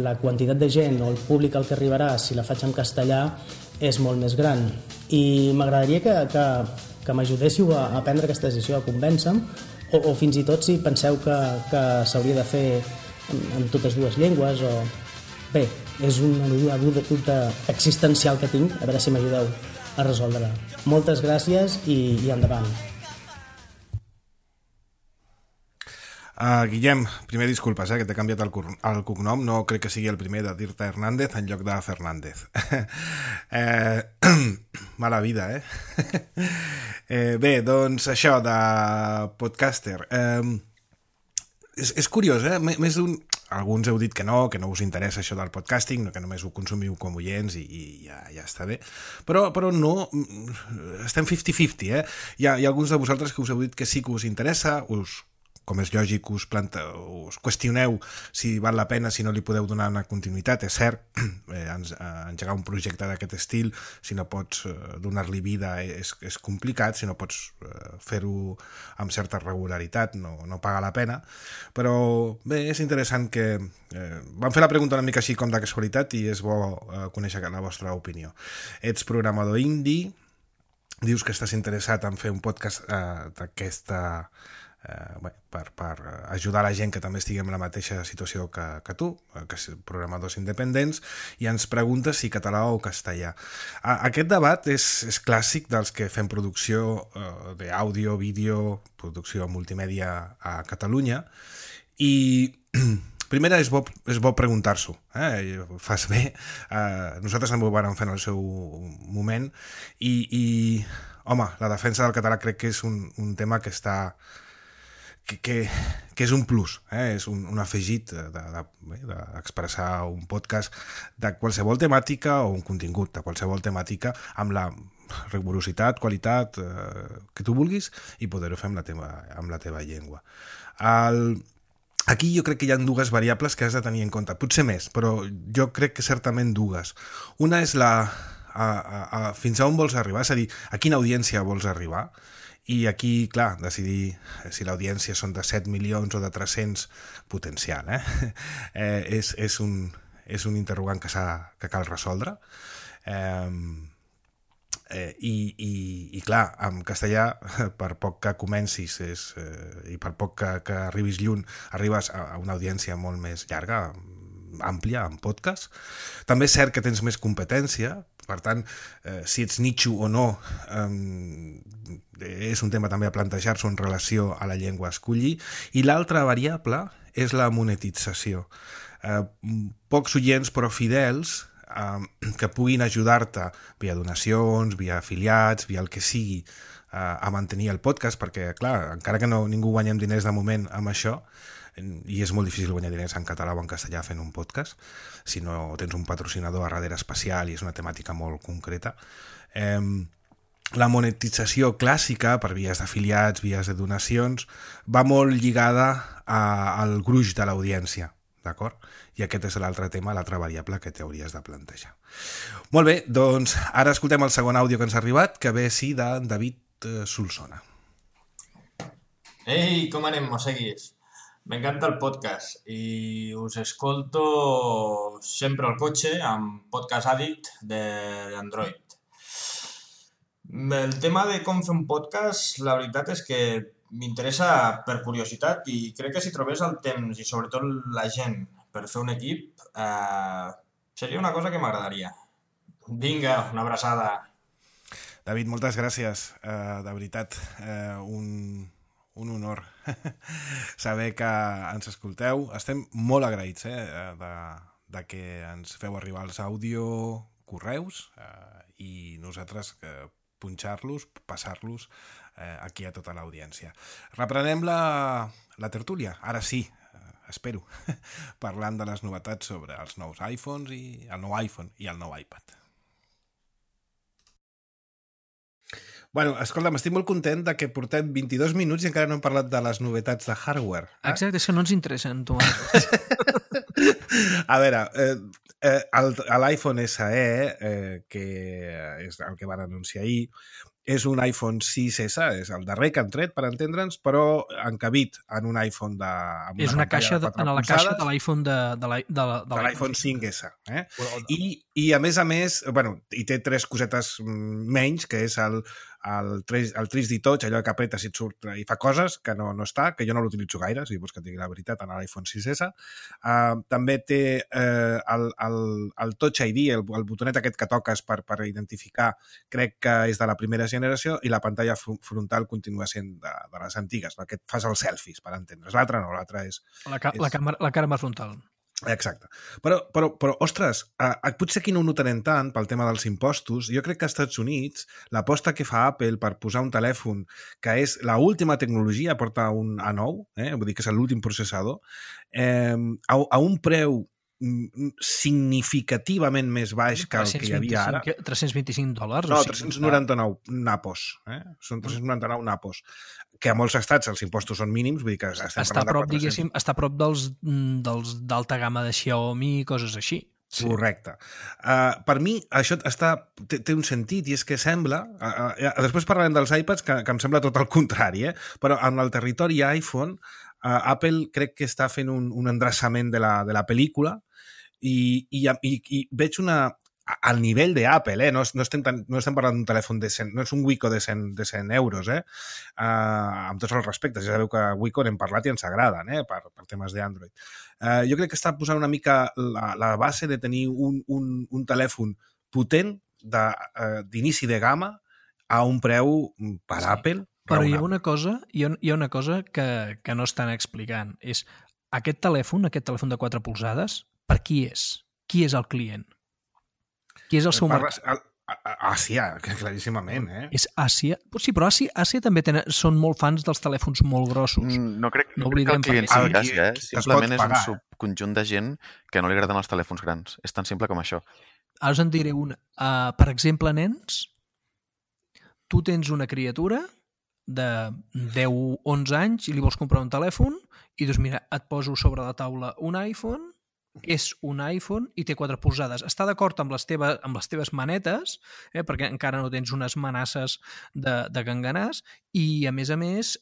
la quantitat de gent o el públic al que arribarà si la faig en castellà és molt més gran, i m'agradaria que m'ajudéssiu a prendre aquesta decisió, a convèncer-me, o fins i tot si penseu que s'hauria de fer en totes dues llengües o... Bé, és una dubte existencial que tinc, a veure si m'ajudeu a resoldre-la. Moltes gràcies i endavant. Guillem, primer disculpes, que t'he canviat el cognom, no crec que sigui el primer de dir-te Hernández en lloc de Fernández. Mala vida, Bé, doncs això de podcaster. És curiós, més d'un... Alguns heu dit que no us interessa això del podcasting, que només ho consumiu com oients i ja està bé. Però no, estem 50-50, Hi ha alguns de vosaltres que us heu dit que sí que us interessa, com és lògic, us qüestioneu si val la pena, si no li podeu donar una continuïtat. És cert, engegar un projecte d'aquest estil, si no pots donar-li vida és complicat, si no pots fer-ho amb certa regularitat no paga la pena, però bé, és interessant que vam fer la pregunta una mica així com de casualitat i és bo conèixer la vostra opinió. Ets programador indie, dius que estàs interessat en fer un podcast d'aquesta... per ajudar la gent que també estigui en la mateixa situació que tu, que són programadors independents, i ens preguntes si català o castellà. Aquest debat és clàssic dels que fem producció d'àudio, vídeo, producció multimèdia a Catalunya, i primer és bo preguntar-s'ho, fas bé. Nosaltres també ho vam fer en el seu moment i home, la defensa del català crec que és un tema que està és un plus, és un afegit d'expressar un podcast de qualsevol temàtica o un contingut de qualsevol temàtica amb la rigorositat, qualitat que tu vulguis i poder-ho fer amb la teva llengua. Aquí jo crec que hi ha dues variables que has de tenir en compte, potser més, però jo crec que certament dues. Una és fins a on vols arribar, és a dir, a quina audiència vols arribar. I aquí, clar, decidir si l'audiència són de 7 milions o de 300, potencial, és un interrogant que cal resoldre. I clar, en castellà, per poc que comencis i per poc que arribis lluny, arribes a una audiència molt més llarga, àmplia, en podcast. També és cert que tens més competència, per tant, si ets nicho o no, és un tema també a plantejar-se en relació a la llengua a escollir. I l'altra variable és la monetització. Pocs oients, però fidels, que puguin ajudar-te via donacions, via afiliats, via el que sigui, a mantenir el podcast, perquè, clar, encara que ningú guanyem diners de moment amb això, i és molt difícil guanyar diners en català o en castellà fent un podcast, si no tens un patrocinador a darrere especial i és una temàtica molt concreta. La monetització clàssica, per vies d'afiliats, vies de donacions, va molt lligada al gruix de l'audiència, d'acord? I aquest és l'altre tema, l'altra variable que t'hauries de plantejar. Molt bé, doncs ara escoltem el segon àudio que ens ha arribat, que ve sí de David Solsona. Ei, com anem, mosseguis? M'encanta el podcast i us escolto sempre al cotxe amb Podcast Addict d'Android. El tema de com fer un podcast, la veritat és que m'interessa per curiositat i crec que si trobés el temps i sobretot la gent per fer un equip, seria una cosa que m'agradaria. Vinga, una abraçada. David, moltes gràcies. De veritat, un honor saber que ens escolteu. Estem molt agraïts de que ens feu arribar els àudio correus i nosaltres punxar-los, passar-los aquí a tota l'audiència. Reprenem la tertúlia, ara sí, espero, parlant de les novetats sobre els nous iPhones i el nou iPhone i el nou iPad. Bueno, escolta'm, estic molt content de que portem 22 minuts i encara no hem parlat de les novetats de hardware. Exacte, és que no ens interessen, tu. A veure, l'iPhone SE, que és el que van anunciar ahir, és un iPhone 6S, és el darrer que han tret, per entendre'ns, però encabit en un iPhone és una caixa en la caixa de l'iPhone de l'iPhone 5S. I a més, bueno, hi té tres cosetes menys, que és el 3D Touch, allò que apretes i et surt i fa coses, que no està, que jo no l'utilitzo gaire, si vols que et digui la veritat, en l'iPhone 6S. També té el Touch ID, el botonet aquest que toques per identificar, crec que és de la primera generació, i la pantalla frontal continua sent de les antigues, la que et fas els selfies, per entendre's. L'altra no, l'altra és... La càmera frontal. Exacte. Però ostres, potser aquí no ho notarem tant pel tema dels impostos. Jo crec que als Estats Units l'aposta que fa Apple per posar un telèfon que és l'última tecnologia, porta un A9, vull dir que és l'últim processador, a un preu significativament més baix que el que hi havia ara. $325? No, 399 napos. Són 399 napos. Que a molts estats els impostos són mínims, vull dir que està a prop, diguéssim, està a prop dels d'alta gamma de Xiaomi i coses així. Sí. Correcte. Per mi això té un sentit i és que sembla... després parlarem dels iPads, que em sembla tot el contrari, però en el territori iPhone Apple crec que està fent un endreçament de la pel·lícula i veig al nivell d'Apple, no estem parlant d'un telèfon de 100, no és un Wiko de 100 euros, amb tots els respectes. Ja sabeu que Wiko n'hem parlat i ens agraden, per temes d'Android. Jo crec que està posant una mica la base de tenir un telèfon potent d'inici de gamma a un preu per Apple. Però hi ha una cosa que no estan explicant. És aquest telèfon de 4 polzades, per qui és? Qui és el client? Qui és el seu mercat? Àsia, claríssimament, És Àsia. Sí, però Àsia també són molt fans dels telèfons molt grossos. No crec que oblidem el client perquè- sigui Àsia, Qui es Simplement pot és un pagar, subconjunt de gent que no li agraden els telèfons grans. És tan simple com això. Ara us en diré una. Per exemple, nens, tu tens una criatura de 10-11 anys i li vols comprar un telèfon i dius, mira, et poso sobre la taula un iPhone, és un iPhone i té 4 polzades. Està d'acord amb les teves manetes, perquè encara no tens unes manasses de ganganàs, i a més a més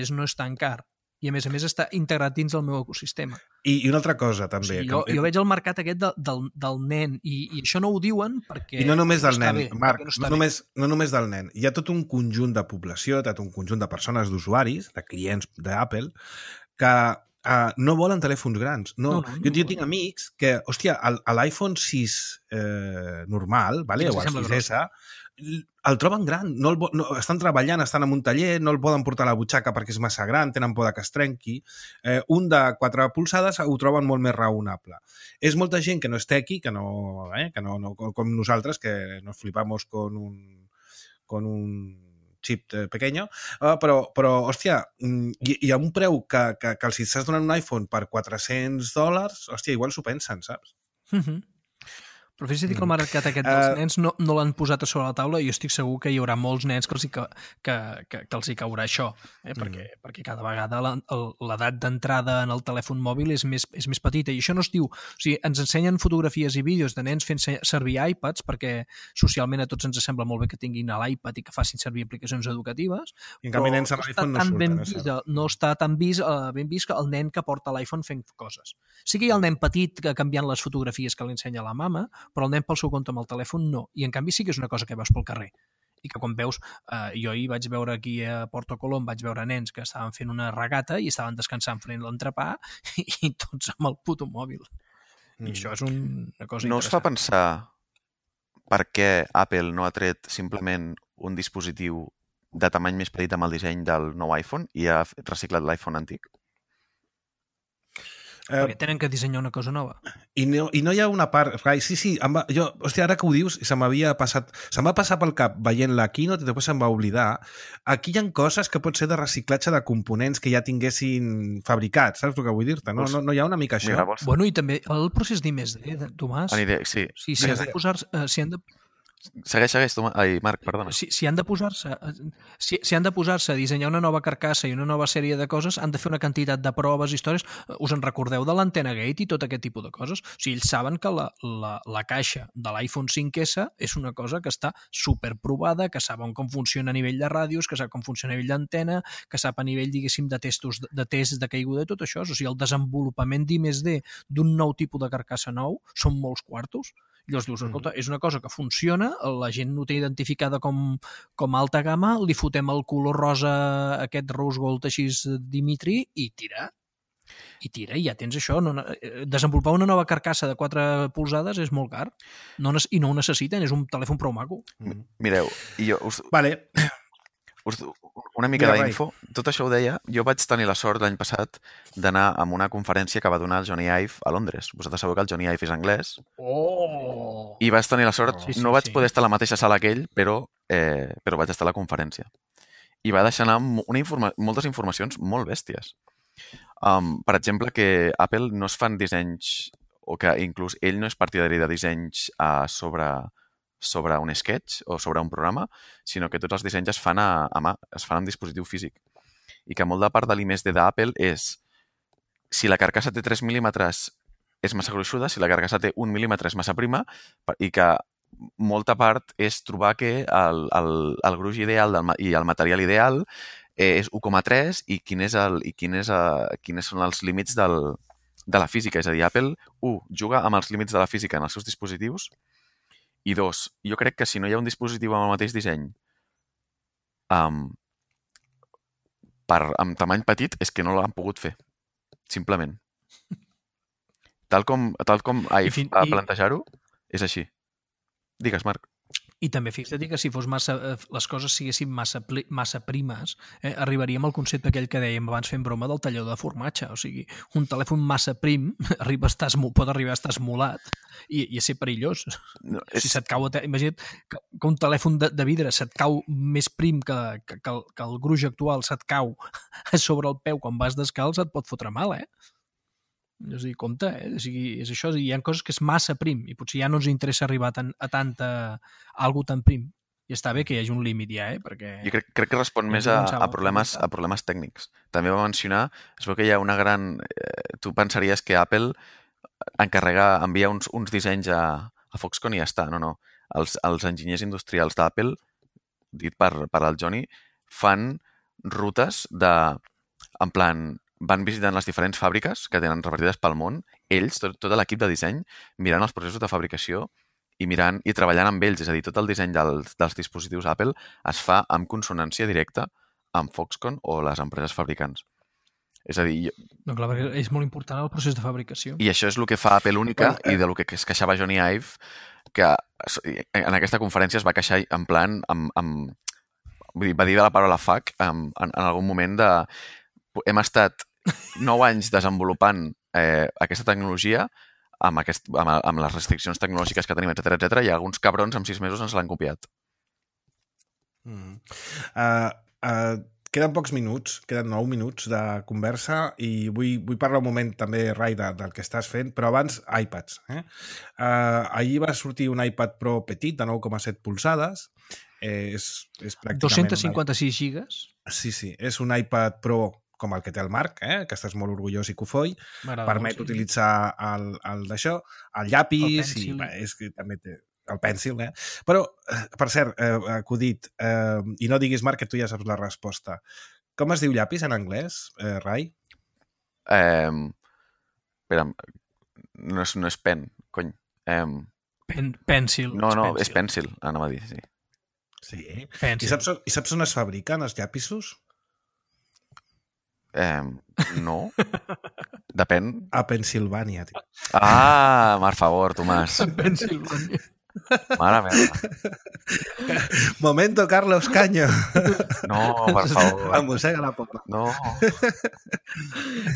no és tan car. I a més està integrat dins el meu ecosistema. I una altra cosa, també. O sigui, jo veig el mercat aquest del nen, i això no ho diuen perquè... I no només del està nen, bé, Marc, no no només del nen. Hi ha tot un conjunt de població, tot un conjunt de persones, d'usuaris, de clients d'Apple, que no volen telèfons grans. No. Jo tinc amics que, hòstia, l'iPhone 6 normal, vale? O el 6S, el troben gran. Estan treballant, estan en un taller, no el poden portar a la butxaca perquè és massa gran, tenen por que es trenqui. Un de 4 polzades ho troben molt més raonable. És molta gent que no és tequi, que no com nosaltres, que nos flipamos con un chip pequeño, però hòstia, hi ha un preu que els estàs donant un iPhone per $400, hòstia, igual s'ho pensen, saps? Però fixa't que el mercat aquest dels nens no l'han posat a sobre la taula i jo estic segur que hi haurà molts nens que els hi caurà això, perquè cada vegada l'edat d'entrada en el telèfon mòbil és més petita, i això no es diu... O sigui, ens ensenyen fotografies i vídeos de nens fent servir iPads perquè socialment a tots ens sembla molt bé que tinguin l'iPad i que facin servir aplicacions educatives, I en canvi nens amb l'iPhone no surten. No està tan ben vist que el nen que porta l'iPhone fent coses. Sí que hi ha el nen petit que canviant les fotografies que li ensenya la mama, però el nen pel seu compte amb el telèfon no. I en canvi sí que és una cosa que veus pel carrer. I que quan veus, jo ahir vaig veure aquí a Porto Colom, vaig veure nens que estaven fent una regata i estaven descansant fent l'entrepà i tots amb el puto mòbil. I això és una cosa No us fa pensar per què Apple no ha tret simplement un dispositiu de tamany més petit amb el disseny del nou iPhone i ha reciclat l'iPhone antic? Perquè tenen que dissenyar una cosa nova. I no hi ha una part... Sí, hòstia, ara que ho dius, se'm va passar pel cap veient la keynote i després se'm va oblidar. Aquí hi ha coses que pot ser de reciclatge de components que ja tinguessin fabricats, saps el que vull dir-te? No hi ha una mica això? Mira, Bueno, i també el procés d'I+D, Tomàs. Sí. Si han de posar-se... Segueix, Tomàs. Ai, Marc, perdona. Si han de posar-se a dissenyar una nova carcassa i una nova sèrie de coses, han de fer una quantitat de proves, històries. Us en recordeu de l'antena gate i tot aquest tipus de coses? O sigui, ells saben que la caixa de l'iPhone 5S és una cosa que està superprovada, que saben com funciona a nivell de ràdios, que sap com funciona a nivell d'antena, que sap a nivell, diguéssim, de tests de caiguda i tot això. O sigui, el desenvolupament d'I+D d'un nou tipus de carcassa nou són molts quartos. Llavors dius, escolta, és una cosa que funciona, la gent no té identificada com alta gamma, li fotem el color rosa, aquest rose gold així Dimitri, i tira. I ja tens això. Desenvolupar una nova carcassa de 4 polzades és molt car. I no ho necessiten, és un telèfon prou maco. Mireu, i jo Vale. Una mica d'info. Tot això ho deia. Jo vaig tenir la sort l'any passat d'anar a una conferència que va donar el Johnny Ive a Londres. Vosaltres sabeu que el Johnny Ive és anglès. Oh! I vaig tenir la sort. No vaig poder estar a la mateixa sala que ell, però vaig estar a la conferència. I va deixar anar moltes informacions molt bèsties. Per exemple, que Apple no es fan dissenys, o que inclús ell no és partidari de dissenys sobre un sketch o sobre un programa, sinó que tots els dissenys es fan a mà, es fan en dispositiu físic. I que molt de part de l'I+D d'Apple és si la carcassa té 3 mil·límetres és massa gruixuda, si la carcassa té 1 mil·límetre és massa prima, i que molta part és trobar que el gruix ideal i el material ideal és 1,3 i quins són els límits de la física. És a dir, Apple, juga amb els límits de la física en els seus dispositius, i 2, jo crec que si no hi ha un dispositiu amb el mateix disseny amb tamany petit, és que no l'han pogut fer. Simplement. Tal com Ive va plantejar-ho, és així. Digues, Marc. I també fixa't que si fos les coses siguessin massa primes, arribaríem al concepte aquell que dèiem abans fent broma del tallador de formatge. O sigui, un telèfon massa prim pot arribar a estar esmolat i a ser perillós. No, si se't cau, imagina't que un telèfon de vidre se't cau més prim que el gruix actual se't cau sobre el peu quan vas descalç, et pot fotre mal, És a dir, compte, O sigui, és això, hi ha coses que és massa prim i potser ja no ens interessa arribar a algo tan prim. I està bé que hi hagi un límit ja, perquè... Jo crec que respon més a problemes tècnics. També va mencionar, es veu que hi ha una gran... Tu pensaries que Apple envia uns dissenys a Foxconn i ja està. No. Els enginyers industrials d'Apple, dit per el Johnny, fan rutes en plan... van visitant les diferents fàbriques que tenen repartides pel món, ells, tot l'equip de disseny, mirant els processos de fabricació i treballant amb ells. És a dir, tot el disseny dels dispositius Apple es fa amb consonància directa amb Foxconn o les empreses fabricants. És a dir... No, clar, és molt important el procés de fabricació. I això és el que fa Apple única i del que es queixava Johnny Ive, que en aquesta conferència es va queixar en plan... Vull dir, va dir de la paraula fuck en algun moment de... Hem estat 9 anys desenvolupant aquesta tecnologia amb les restriccions tecnològiques que tenim, etc i alguns cabrons en 6 mesos ens l'han copiat. Queden pocs minuts, queden 9 minuts de conversa i vull parlar un moment també, Rai, del que estàs fent, però abans iPads. Ahir va sortir un iPad Pro petit de 9,7 polzades. És pràcticament... 256 gigas? Sí, és un iPad Pro com el que té el Marc, que estàs molt orgullós i cofoi, permet utilitzar el d'això, el llapis, i és que també té el pèncil, Però, per cert, acudit, i no diguis, Marc, que tu ja saps la resposta. Com es diu llapis en anglès, Rai? Espera, no és pen, cony. Pencil. No, és pencil, anava a dir, sí. Sí. I saps on es fabriquen els llapisos? No. Depèn. A Pensilvània, tio. Per favor, Tomàs. A Pensilvània. Mare meva. Momento, Carlos Caño. No, per favor. Em mossega la poma. No.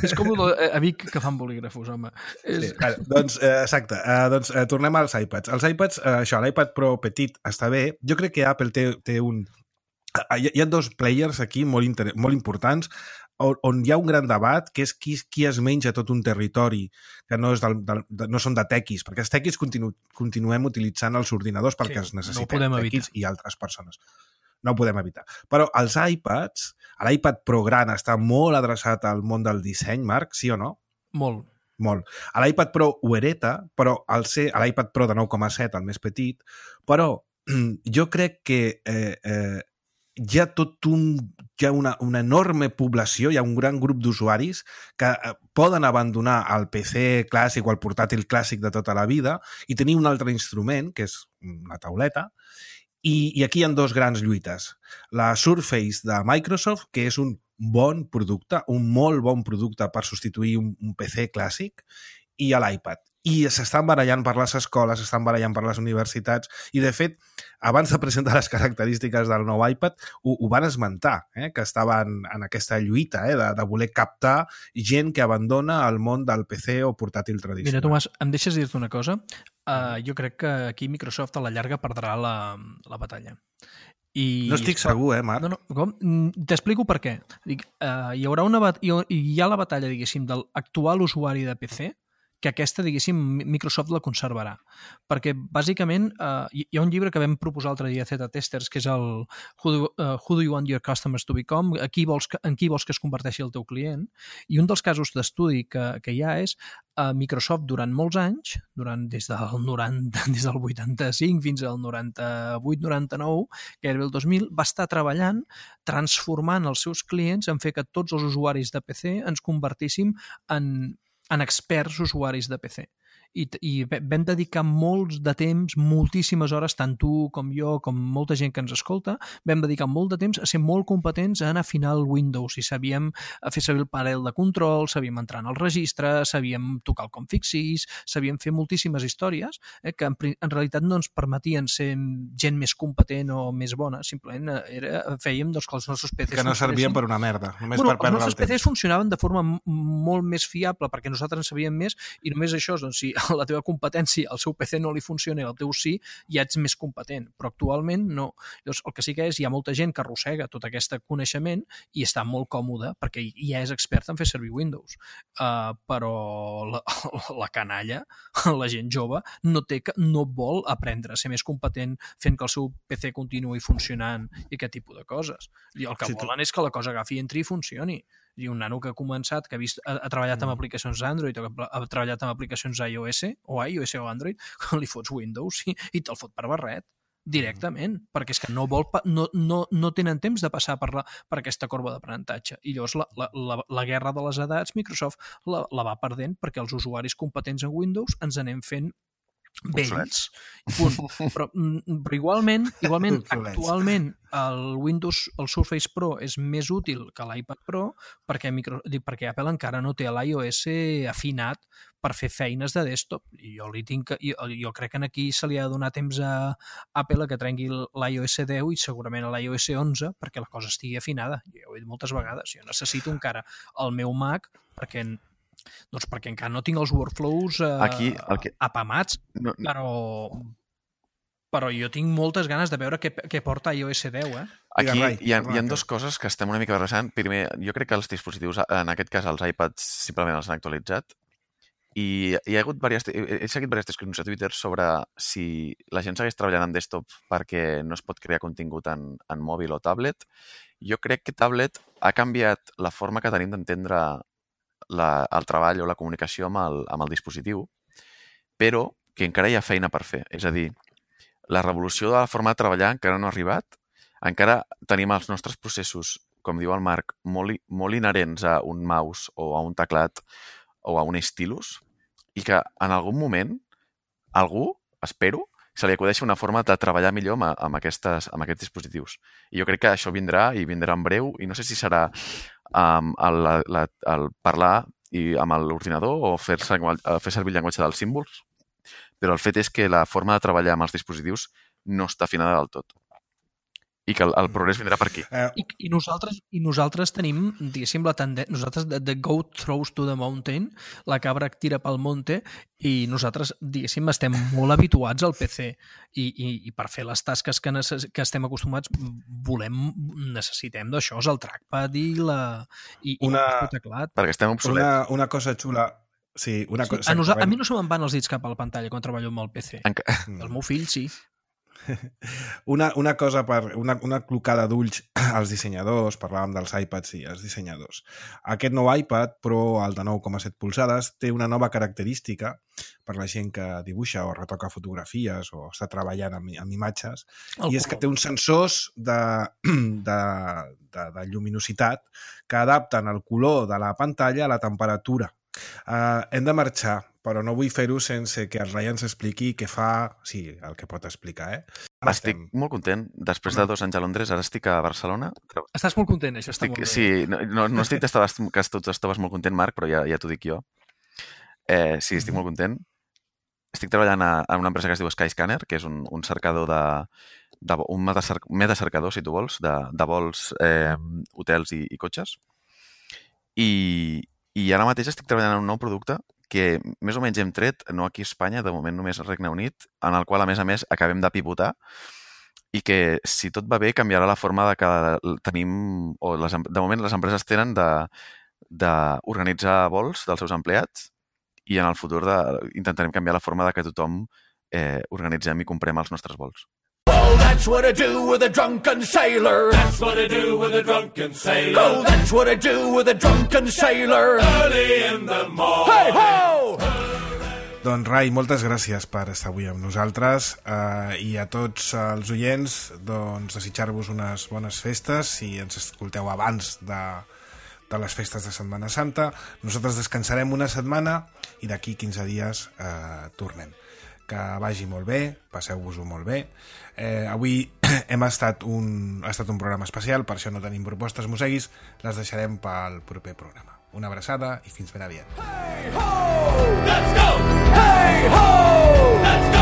És com a Vic que fan bolígrafos, home. Sí, doncs, exacte. Tornem als iPads. Els iPads, l'iPad Pro petit està bé. Jo crec que Apple té un... Hi ha dos players aquí molt importants on hi ha un gran debat, que és qui es menja tot un territori que no són de tequis, perquè els tequis continuem utilitzant els ordinadors perquè els necessitem, tequis i altres persones. No ho podem evitar. Però els iPads, l'iPad Pro gran està molt adreçat al món del disseny, Marc, sí o no? Molt. L'iPad Pro ho hereta, però al ser l'iPad Pro de 9,7, el més petit, però jo crec que hi ha una enorme població, hi ha un gran grup d'usuaris que poden abandonar el PC clàssic o el portàtil clàssic de tota la vida i tenir un altre instrument, que és una tauleta, i aquí hi ha dos grans lluites. La Surface de Microsoft, que és un bon producte, un molt bon producte per substituir un PC clàssic, i l'iPad. I s'estan barallant per les escoles, s'estan barallant per les universitats, i de fet, abans de presentar les característiques del nou iPad, ho van esmentar, que estaven en aquesta lluita de voler captar gent que abandona el món del PC o portàtil tradicional. Mira, Tomàs, em deixes dir-te una cosa? Jo crec que aquí Microsoft a la llarga perdrà la batalla. No estic segur, Marc? No, t'explico per què. Hi ha la batalla, diguéssim, del actual usuari de PC, que aquesta, diguéssim, Microsoft la conservarà. Perquè, bàsicament, hi ha un llibre que vam proposar l'altre dia a Zeta Testers, que és el Who do you want your customers to become? En qui vols que es converteixi el teu client? I un dels casos d'estudi que hi ha és Microsoft durant molts anys, des del 85 fins al 98-99, gairebé el 2000, va estar treballant, transformant els seus clients en fer que tots els usuaris de PC ens convertíssim en experts usuaris de PC. i vam dedicar molts de temps, moltíssimes hores, tant tu com jo, com molta gent que ens escolta, vam dedicar molt de temps a ser molt competents en afinar el Windows i sabíem fer servir el panel de control, sabíem entrar en el registre, sabíem tocar el config sys, sabíem fer moltíssimes històries que en realitat no ens permetien ser gent més competent o més bona, simplement fèiem que els nostres PCs que no servien per una merda, només per perdre el temps. Els nostres PCs funcionaven de forma molt més fiable perquè nosaltres en sabíem més i només això, doncs, si a la teva competència al seu PC no li funciona i al teu sí, ja ets més competent, però actualment no. Llavors, el que sí que hi ha molta gent que arrossega tot aquest coneixement i està molt còmode perquè ja és expert en fer servir Windows. Però la canalla, la gent jove, no vol aprendre a ser més competent fent que el seu PC continuï funcionant i aquest tipus de coses. I el que volen és que la cosa agafi, entri i funcioni. I un nano que ha començat, que ha treballat amb aplicacions Android o que ha treballat amb aplicacions iOS o Android, li fots Windows i te'l fot per barret directament, perquè és que no tenen temps de passar per aquesta corba d'aprenentatge. I llavors la guerra de les edats Microsoft la va perdent perquè els usuaris competents en Windows ens anem fent vells. Però igualment actualment el Surface Pro és més útil que l'iPad Pro perquè Apple encara no té l'iOS afinat per fer feines de desktop. I jo crec que aquí se li ha de donar temps a Apple que trenqui l'iOS 10 i segurament a l'iOS 11 perquè la cosa estigui afinada. Jo ho he dit moltes vegades. Jo necessito encara el meu Mac perquè encara no tinc els workflows apamats, però jo tinc moltes ganes de veure què porta iOS 10. Aquí hi ha dues coses que estem una mica barrejant. Primer, jo crec que els dispositius, en aquest cas els iPads, simplement els han actualitzat i he seguit diverses discussions a Twitter sobre si la gent segueix treballant en desktop perquè no es pot crear contingut en mòbil o tablet. Jo crec que tablet ha canviat la forma que tenim d'entendre el treball o la comunicació amb el dispositiu, però que encara hi ha feina per fer. És a dir, la revolució de la forma de treballar encara no ha arribat, encara tenim els nostres processos, com diu el Marc, molt inherents a un mouse o a un teclat o a un stylus, i que en algun moment algú, espero, se li acudeixi una forma de treballar millor amb aquests dispositius. I jo crec que això vindrà i vindrà en breu, i no sé si serà el parlar amb l'ordinador o fer servir el llenguatge dels símbols, però el fet és que la forma de treballar amb els dispositius no està afinada del tot i que el progrés vindrà per aquí. I nosaltres tenim, diguéssim, la tendència, nosaltres the goat throws to the mountain, la cabra que tira pel monte, i nosaltres, diguéssim, estem molt habituats al PC i per fer les tasques que estem acostumats necessitem d'això, és el trackpad i el teclat. Perquè estem obsolets. Una cosa xula. Sí, a mi no se me'n van els dits cap a la pantalla quan treballo amb el PC. El meu fill sí. Una cosa una clocada d'ulls als dissenyadors, parlàvem dels iPads i els dissenyadors. Aquest nou iPad Pro, el de 9,7 polzades, té una nova característica per la gent que dibuixa o retoca fotografies o està treballant amb imatges, i és que té uns sensors de lluminositat que adapten el color de la pantalla a la temperatura. Hem de marxar, però no vull fer-ho sense que el Ryan s'expliqui què fa... Sí, el que pot explicar, Estic molt content. Després de 2 anys a Londres, ara estic a Barcelona. Estàs molt content, això està molt bé. Sí, no estic que tu estaves molt content, Marc, però ja t'ho dic jo. Sí, estic molt content. Estic treballant en una empresa que es diu Skyscanner, que és un cercador un metacercador, si tu vols, de vols, hotels i cotxes. I ara mateix estic treballant en un nou producte que més o menys hem tret, no aquí a Espanya, de moment només al Regne Unit, en el qual, a més, acabem de pivotar i que, si tot va bé, canviarà la forma de que tenim, o de moment les empreses tenen d'organitzar vols dels seus empleats i en el futur intentarem canviar la forma de que tothom organitzem i comprem els nostres vols. Oh, that's what I do with a drunken sailor. That's what I do with a drunken sailor. Oh, that's what I do with a drunken sailor. Early in the morning. Hey, ho! Doncs, Rai, moltes gràcies per estar avui amb nosaltres i a tots els oients, doncs, desitjar-vos unes bones festes si ens escolteu abans de les festes de Setmana Santa. Nosaltres descansarem una setmana i d'aquí 15 dies tornem. Que vagi molt bé, passeu-vos-ho molt bé. Avui ha estat un programa especial, per això no tenim propostes mosseguis, les deixarem pel proper programa. Una abraçada i fins ben aviat. Hey ho! Let's go! Hey ho! Let's go!